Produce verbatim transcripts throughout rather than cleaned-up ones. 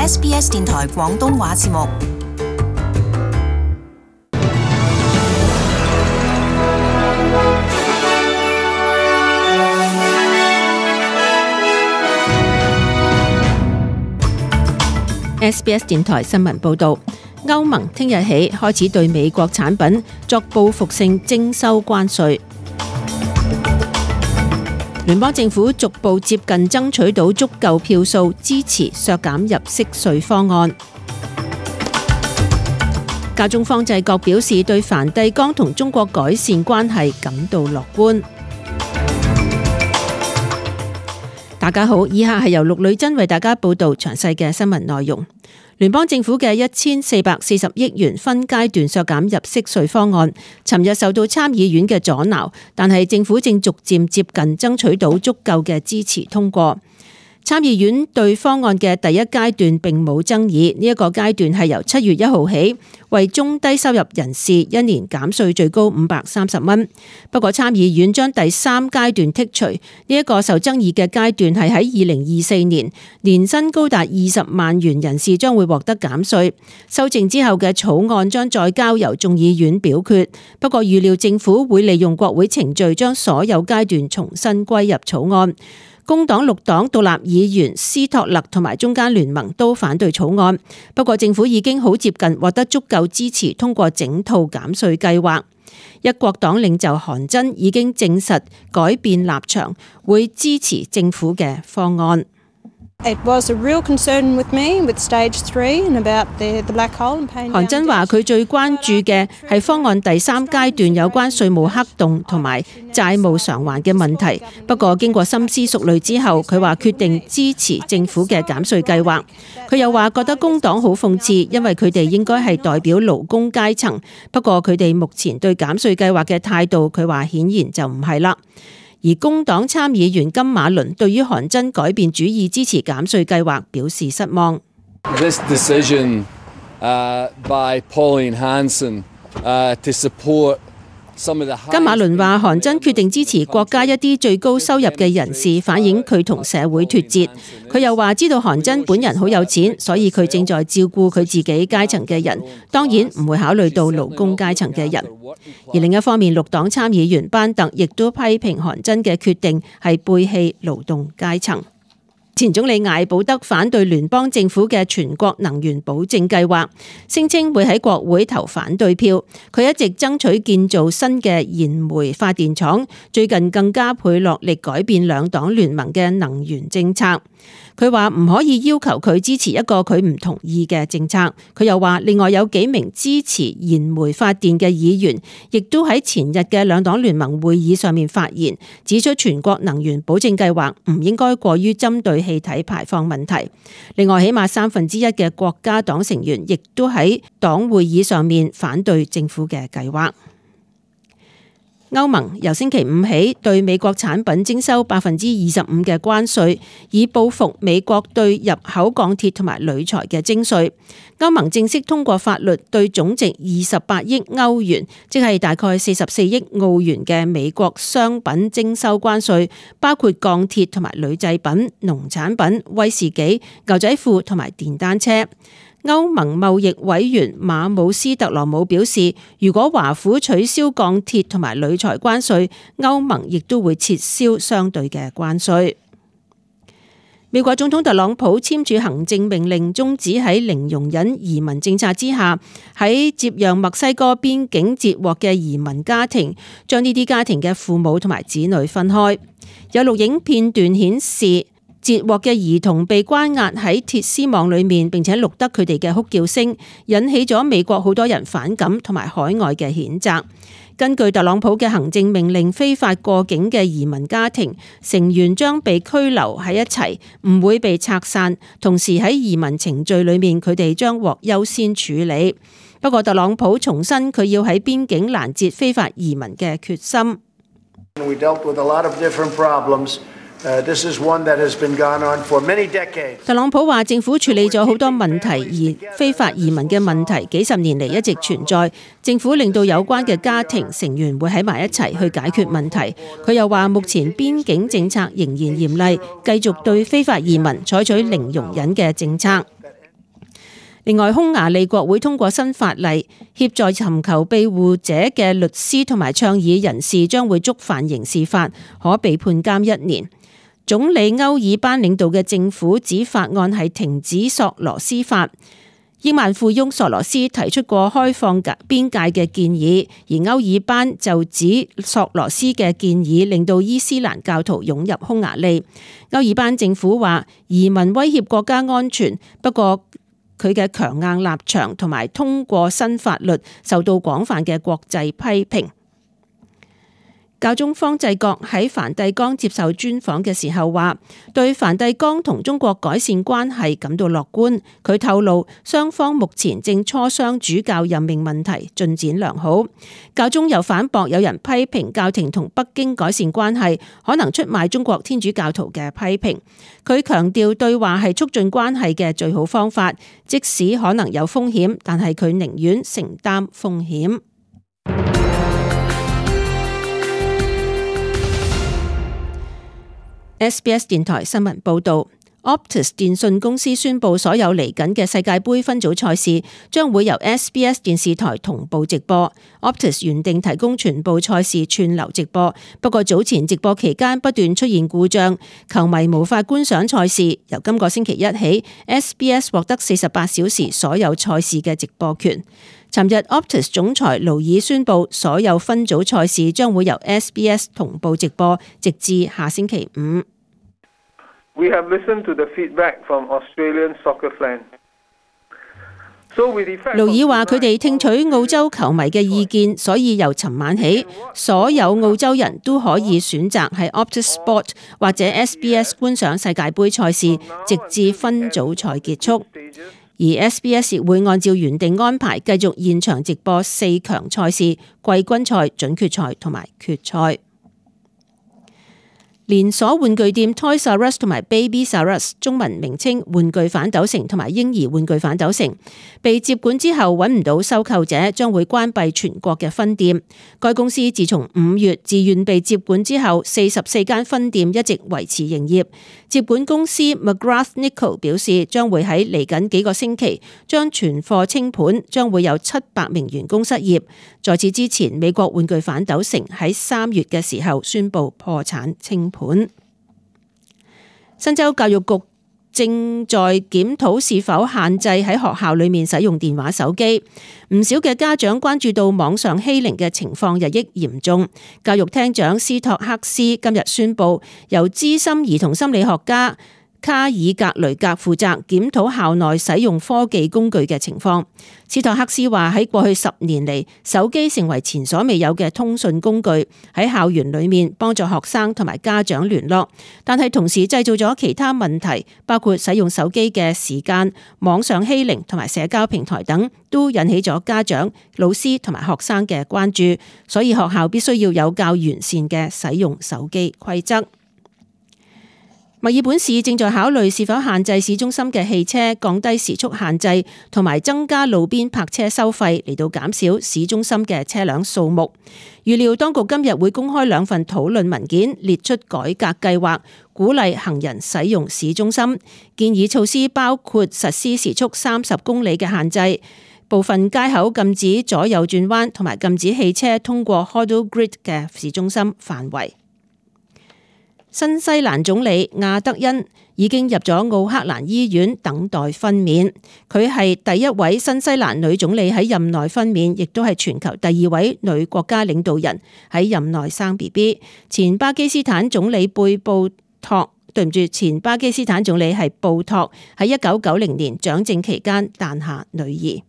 S B S 電台廣東話節目。S B S 電台新聞報導，歐盟聽日起開始對美國產品作報復性徵收關稅。聯邦政府逐步接近爭取到足夠票數支持削減入息稅方案。教宗方濟各表示對梵蒂岡同中國改善關係感到樂觀。大家好，以下係由陸女珍為大家報道詳細嘅新聞內容。聯邦政府嘅一千四百四十億元分階段削減入息稅方案，尋日受到參議院嘅阻撓，但係政府正逐漸接近爭取到足夠嘅支持通過。參議院對方案嘅第一階段並冇爭議，呢、這、一個階段係由七月一號起，為中低收入人士一年減稅最高五百三十蚊。不過參議院將第三階段剔除，呢、這、一個受爭議嘅階段係喺二零二四年，年薪高達二十萬元人士將會獲得減稅。修正之後嘅草案將再交由眾議院表決，不過預料政府會利用國會程序將所有階段重新歸入草案。工黨、綠黨獨立議員斯托勒同埋中間聯盟都反對草案，不過政府已經好接近獲得足夠支持通過整套減稅計劃。一國黨領袖韓真已經證實改變立場，會支持政府嘅方案。It was a real concern with me with stage three and about the the black hole and paying down. 韓真話佢最關注嘅係方案第三階段有關稅務黑洞同埋債務償還嘅問題。不過經過深思熟慮之後，佢話決定支持政府嘅減稅計劃。佢又話覺得工黨好諷刺，因為佢哋應該係代表勞工階層，不過佢哋目前對減稅計劃嘅態度，佢話顯然就唔係啦。而工黨參議員金馬倫對於韓真改變主意支持減稅計劃表示失望。This decision, uh, by Pauline Hanson, uh, to support some of the 金馬倫話韓真決定支持國家一啲最高收入嘅人士，反映佢同社會脫節。佢又話知道韓真本人好有錢，所以佢正在照顧佢自己階層嘅人，當然唔會考慮到勞工階層嘅人。而另一方面，綠黨參議員班特亦都批評韓真嘅決定係背棄勞動階層。前總理艾保德反對聯邦政府嘅全國能源保證計劃，聲稱會喺國會投反對票。佢一直爭取建造新嘅燃煤發電廠，最近更加倍落力改變兩黨聯盟嘅能源政策。佢話唔可以要求佢支持一個佢唔同意嘅政策。佢又話另外有幾名支持燃煤發電嘅議員，亦都喺前日嘅兩黨聯盟會議上面發言，指出全國能源保證計劃唔應該過於針對氣體排放問題。另外，起碼三分之一嘅國家黨成員亦都喺黨會議上面反對政府嘅計劃。歐盟由星期五起對美國產品徵收百分之二十五嘅關稅，以報復美國對入口鋼鐵同埋鋁材嘅徵稅。歐盟正式通過法律，對總值二十八億歐元，即係大概四十四億澳元嘅美國商品徵收關稅，包括鋼鐵同埋鋁製品、農產品、威士忌、牛仔褲同埋電單車。歐盟貿易委員馬姆斯特羅姆表示，如果華府取消鋼鐵同埋鋁材關稅，歐盟亦都會撤銷相對嘅關稅。美國總統特朗普簽署行政命令，終止喺零容忍移民政策之下喺接壤墨西哥邊境截獲嘅移民家庭，將呢啲家庭嘅父母同埋子女分開。有錄影片段顯示，截獲嘅兒童被關押喺鐵絲網裏面，並且錄得佢哋嘅哭叫聲，引起咗美國好多人反感同埋海外嘅譴責。根據特朗普嘅行政命令，非法過境嘅移民家庭成員將被拘留喺一齊，唔會被拆散。同時喺移民程序裏面，佢哋將獲優先處理。不過特朗普重申佢要喺邊境攔截非法移民嘅決心。We dealt with a lot of different problems. Uh, this is one that has been gone on for many decades. 特朗普話政府處理咗好多問題，而非法移民嘅問題幾十年嚟一直存在。政府令到有關嘅家庭成員會喺埋一齊去解決問題。佢又話目前邊境政策仍然嚴厲，繼續對非法移民採取零容忍嘅政策。另外，匈牙利國會通過新法例，協助尋求庇護者嘅律師同埋倡議人士將會觸犯刑事法，可被判監一年。總理歐爾班領導嘅政府指法案係停止索羅斯法。億萬富翁索羅斯提出過開放邊界嘅建議，而歐爾班就指索羅斯嘅建議令到伊斯蘭教徒湧入匈牙利。歐爾班政府話移民威脅國家安全，不過佢嘅強硬立場同埋通過新法律受到廣泛嘅國際批評。教宗方濟各喺梵蒂岡接受專訪嘅時候話，對梵蒂岡同中國改善關係感到樂觀。佢透露，雙方目前正磋商主教任命問題，進展良好。教宗又反駁有人批評教廷同北京改善關係可能出賣中國天主教徒嘅批評。佢強調對話係促進關係嘅最好方法，即使可能有風險，但係佢寧願承擔風險。S B S 電台新聞報道 ，Optus 電訊公司宣布所有嚟緊嘅世界盃分組賽事將會由 S B S 電視台同步直播。Optus 原定提供全部賽事串流直播，不過早前直播期間不斷出現故障，球迷無法觀賞賽事。由今個星期一起 ，S B S 獲得四十八小時所有賽事嘅直播權。尋日 Optus 總裁勞爾宣布，所有分組賽事將會由 S B S 同步直播，直至下星期五。We have listened to the feedback from Australian soccer fans. 勞爾話：佢哋聽取澳洲球迷嘅意見，所以由尋晚起，所有澳洲人都可以選擇喺 Optus Sport 或者 S B S 觀賞世界盃賽事，直至分組賽結束。而 S B S 亦會按照原定安排繼續現場直播四強賽事、季軍賽、準決賽同埋決賽。連鎖玩具店 Toys R Us 同埋 Babies R Us 中文名稱玩具反斗城同埋嬰兒玩具反斗城被接管之後揾唔到收購者，將會關閉全國嘅分店。該公司自從五月自願被接管之後，四十四間分店一直維持營業。接管公司 McGrath Nickel 表示，將會喺嚟緊幾個星期將全貨清盤，將會有七百名員工失業。在此之前，美國玩具反斗城喺三月嘅時候宣布破產清盤。新州教育局正在檢討是否限制喺學校裏面使用電話手機。唔少嘅家長關注到網上欺凌嘅情況日益嚴重。教育廳長斯托克斯今日宣布，由資深兒童心理學家卡爾格雷格負責檢討校內使用科技工具嘅情況。斯托克斯話，喺過去十年嚟，手機成為前所未有嘅通訊工具，喺校園裏面幫助學生同埋家長聯絡，但係同時製造咗其他問題，包括使用手機嘅時間、網上欺凌同埋社交平台等，都引起咗家長、老師同埋學生嘅關注，所以學校必須要有較完善嘅使用手機規則。墨爾本市正在考慮是否限制市中心嘅汽車，降低時速限制，同埋增加路邊泊車收費，嚟到減少市中心嘅車輛數目。預料當局今日會公開兩份討論文件，列出改革計劃，鼓勵行人使用市中心。建議措施包括實施時速三十公里嘅限制，部分街口禁止左右轉彎，同埋禁止汽車通過 Hoddle Grid 嘅市中心範圍。新西蘭總理亞德恩已經入咗奧克蘭醫院等待分娩，佢係第一位新西蘭女總理喺任內分娩，亦都係全球第二位女國家領導人喺任內生 B B。前巴基斯坦總理貝布托，對唔住，前巴基斯坦總理係布托喺一九九零年掌政期間誕下女兒。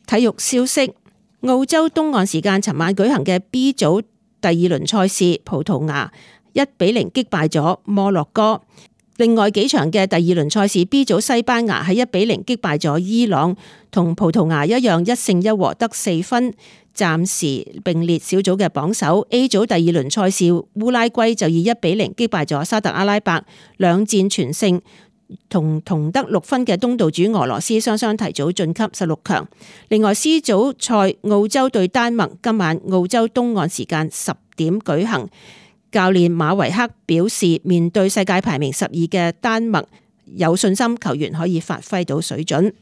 體育消息，澳洲東岸時間尋晚舉行嘅 B 組第二輪賽事，葡萄牙一比零擊敗咗摩洛哥。另外幾場嘅第二輪賽事 ，B 組西班牙喺一比零擊敗咗伊朗，同葡萄牙一樣一勝一和得四分，暫時並列小組嘅榜首。A 組第二輪賽事，烏拉圭就以一比零擊敗咗沙特阿拉伯，兩戰全勝，同同得六分嘅東道主俄羅斯雙雙提早晉級十六強。另外 C 組賽，澳洲對丹麥今晚澳洲東岸時間十點舉行。教練馬維克表示，面對世界排名十二嘅丹麥，有信心球員可以發揮到水準。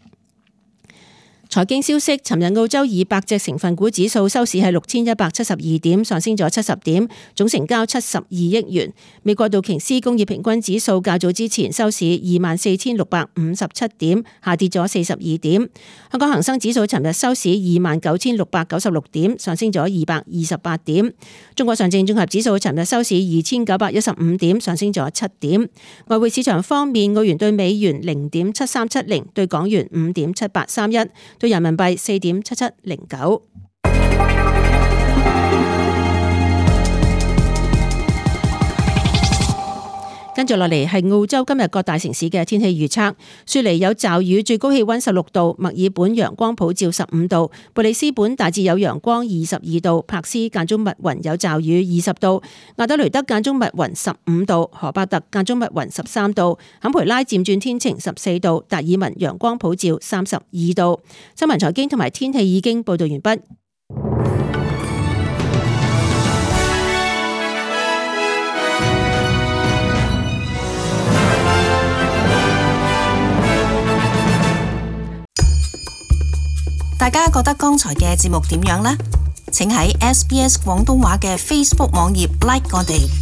財經消息，尋日澳洲二百隻成分股指數收市係六千一百七十二點，上升咗七十點，總成交七十二億元。美國道瓊斯工業平均指數較早之前收市二萬四千六百五十七點，下跌咗四十二點。香港恒生指數尋日收市二萬九千六百九十六點，上升咗二百二十八點。中國上證綜合指數尋日收市二千九百一十五點，上升咗七點。外匯市場方面，澳元對美元零點七三七零，對港元五點七八三一。對人民幣四點七七零九。跟住落嚟係澳洲今日各大城市嘅天氣預測。雪梨有驟雨，最高氣溫十六度；墨爾本陽光普照十五度；布里斯本大致有陽光二十二度；柏斯間中密雲有驟雨二十度；亞德雷德間中密雲十五度；荷伯特間中密雲十三度；坎培拉漸轉天晴十四度；達爾文陽光普照三十二度。新聞財經同埋天氣已經報道完畢。大家覺得剛才嘅節目點樣呢？請喺 S B S 廣東話嘅 Facebook 網頁 like 我哋。